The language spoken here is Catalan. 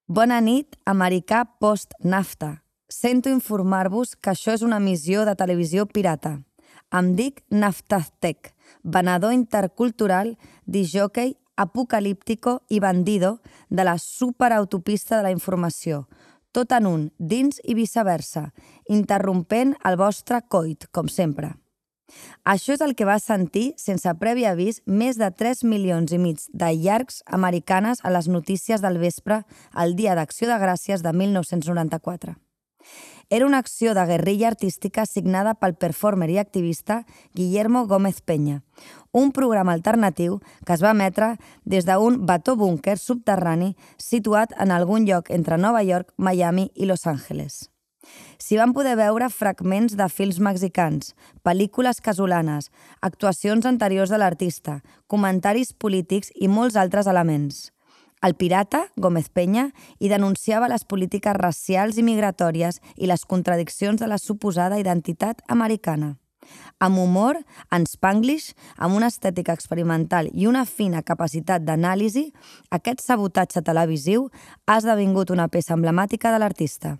Bona nit, americà post-NAFTA. Sento informar-vos que això és una emissió de televisió pirata. Em dic Naftaztec, venedor intercultural, disjòquei, apocalíptico i bandido de la superautopista de la informació, tot en un, dins i viceversa, interrompent el vostre coit, com sempre. Això és el que va sentir, sense previ avís, més de 3 milions i mig de llargs americanes a les notícies del vespre el Dia d'Acció de Gràcies de 1994. Era una acció de guerrilla artística signada pel performer i activista Guillermo Gómez Peña, un programa alternatiu que es va emetre des d'un bató búnquer subterrani situat en algun lloc entre Nova York, Miami i Los Angeles. S'hi van poder veure fragments de films mexicans, pel·lícules casolanes, actuacions anteriors de l'artista, comentaris polítics i molts altres elements. El pirata, Gómez Peña, hi denunciava les polítiques racials i migratòries i les contradiccions de la suposada identitat americana. Amb humor, en spanglish, amb una estètica experimental i una fina capacitat d'anàlisi, aquest sabotatge televisiu ha esdevingut una peça emblemàtica de l'artista.